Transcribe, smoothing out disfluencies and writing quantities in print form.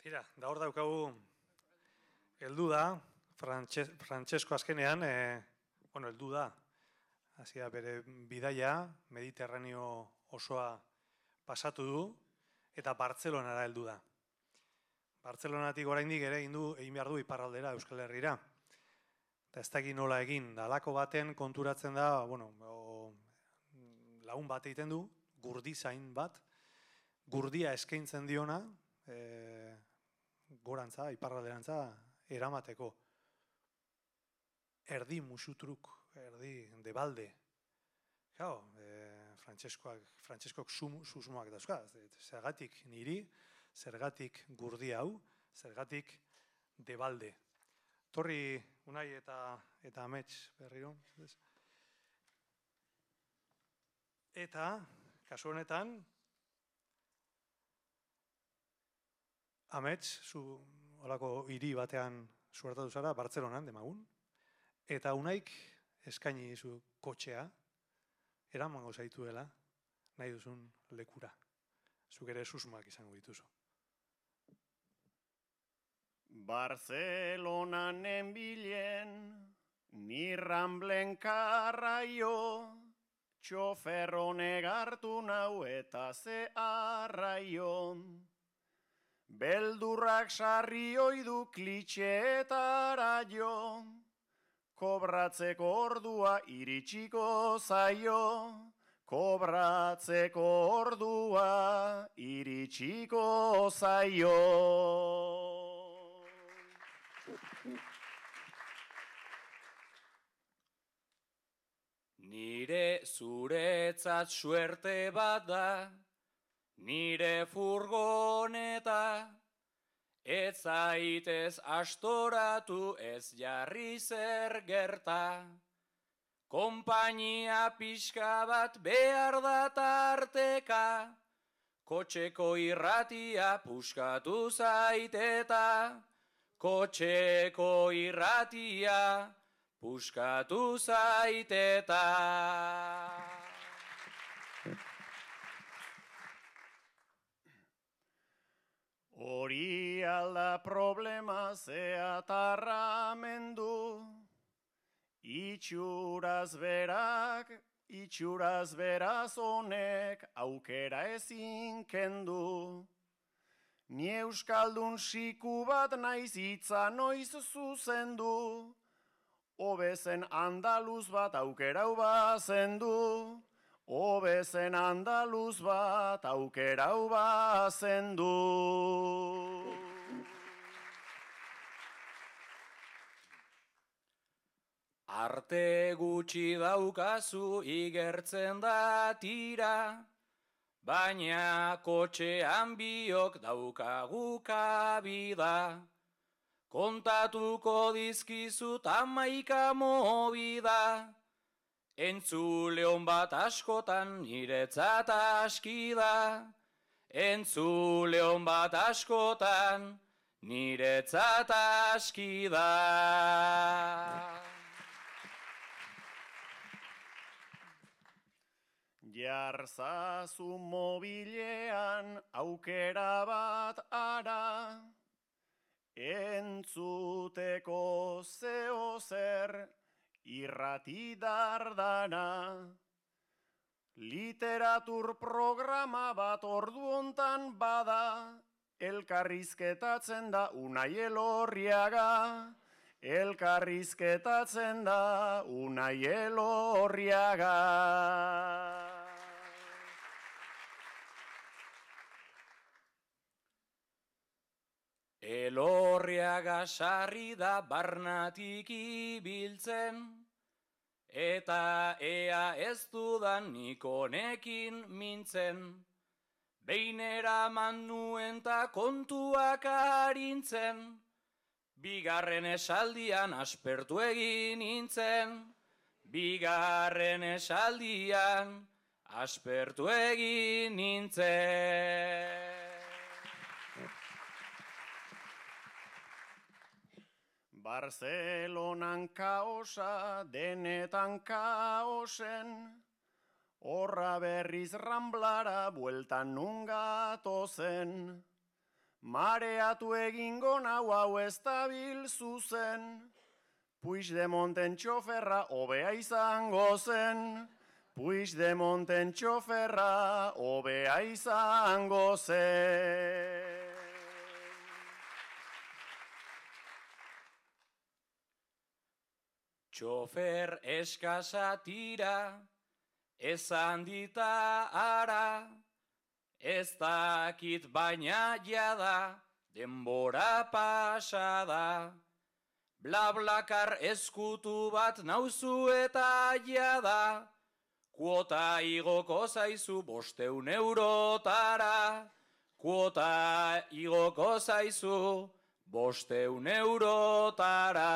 Tira, da hor daukagu heldu da, Frantsesko azkenean, heldu da, hasia bere bidaia, Mediterraneo osoa pasatu du, eta Bartzelonara heldu da. Bartzelonatik oraindik ere egin behar du iparraldera Euskal Herrira. Eta ez dakit nola egin, da alako baten konturatzen da, lagun bat egiten du, gurdizain bat, gurdia eskaintzen diona, gorantza, iparralderantza, eramateko. Erdi musutruk, erdi debalde. Gau, Frantseskoak susmoak dauzka, zergatik niri, zergatik gurdi hau, zergatik debalde. Torri Unai eta Amets berriro. Eta, kasu honetan, Amets, zu holako hiri batean suertatu zara, Bartzelonan, demagun, eta Unaik eskaini zu kotxea, eramango zaituela, nahi duzun lekura. Zuk ere susmoak izango dituzu. Barcelonan enbilen, ni Ramblen karraio, txofer honek hartu nau eta ze arraio. Beldurrak sarri oidu klitxeetara jo, kobratzeko ordua iritsiko zaio, kobratzeko ordua iritsiko zaio. Nire zuretzat suerte bat da, nire furgoneta, ez zaitez astoratu ez jarri zer gerta. Konpainia pixka bat behar da tarteka, kotxeko irratia puskatu zaiteta, kotxeko irratia puskatu zaiteta. Hori alda problema zeatarramendu, itxuraz beraz honek aukera ezin kendu. Ni euskaldun siku bat naiz hitza noiz zuzendu, hobezen andaluz bat aukerau bazendu. Hobezen andaluz bat aukerau bazendu. Arte gutxi daukazu igertzen da tira, baina kotxean biok daukagu kabida. Kontatuko dizkizut 11 mobida, entzuleon bat askotan niretzat aski da. Entzuleon bat askotan niretzat aski da. Jarzazu mobilean aukera bat ara, entzuteko zeo zer irrati dardana. Literatur programa bat ordu hontan bada, elkarrizketatzen da Unai Elorriaga. Elkarrizketatzen da Unai Elorriaga. Elorriaga sarri da barnatik ibiltzen, eta ea ez dudan nik honekin mintzen. Behin eraman nuen ta kontuak arintzen, bigarren esaldian aspertu egin nintzen. Bigarren esaldian aspertu egin nintzen. Barcelonan kaosa, denetan kaosen, horra berriz Ramblara bueltan nun gatozen. mareatu egingo nau hau ez dabil zuzen, Puigdemonten txoferra hobea izango zen, Puigdemonten txoferra hobea izango zen. Txofer eskasa tira, esan dita ara, ez dakit baina jada, denbora pasada. Blablakar eskutu bat nauzu eta jada, kuota igoko zaizu 500 eurotara, kuota igoko zaizu 500 eurotara.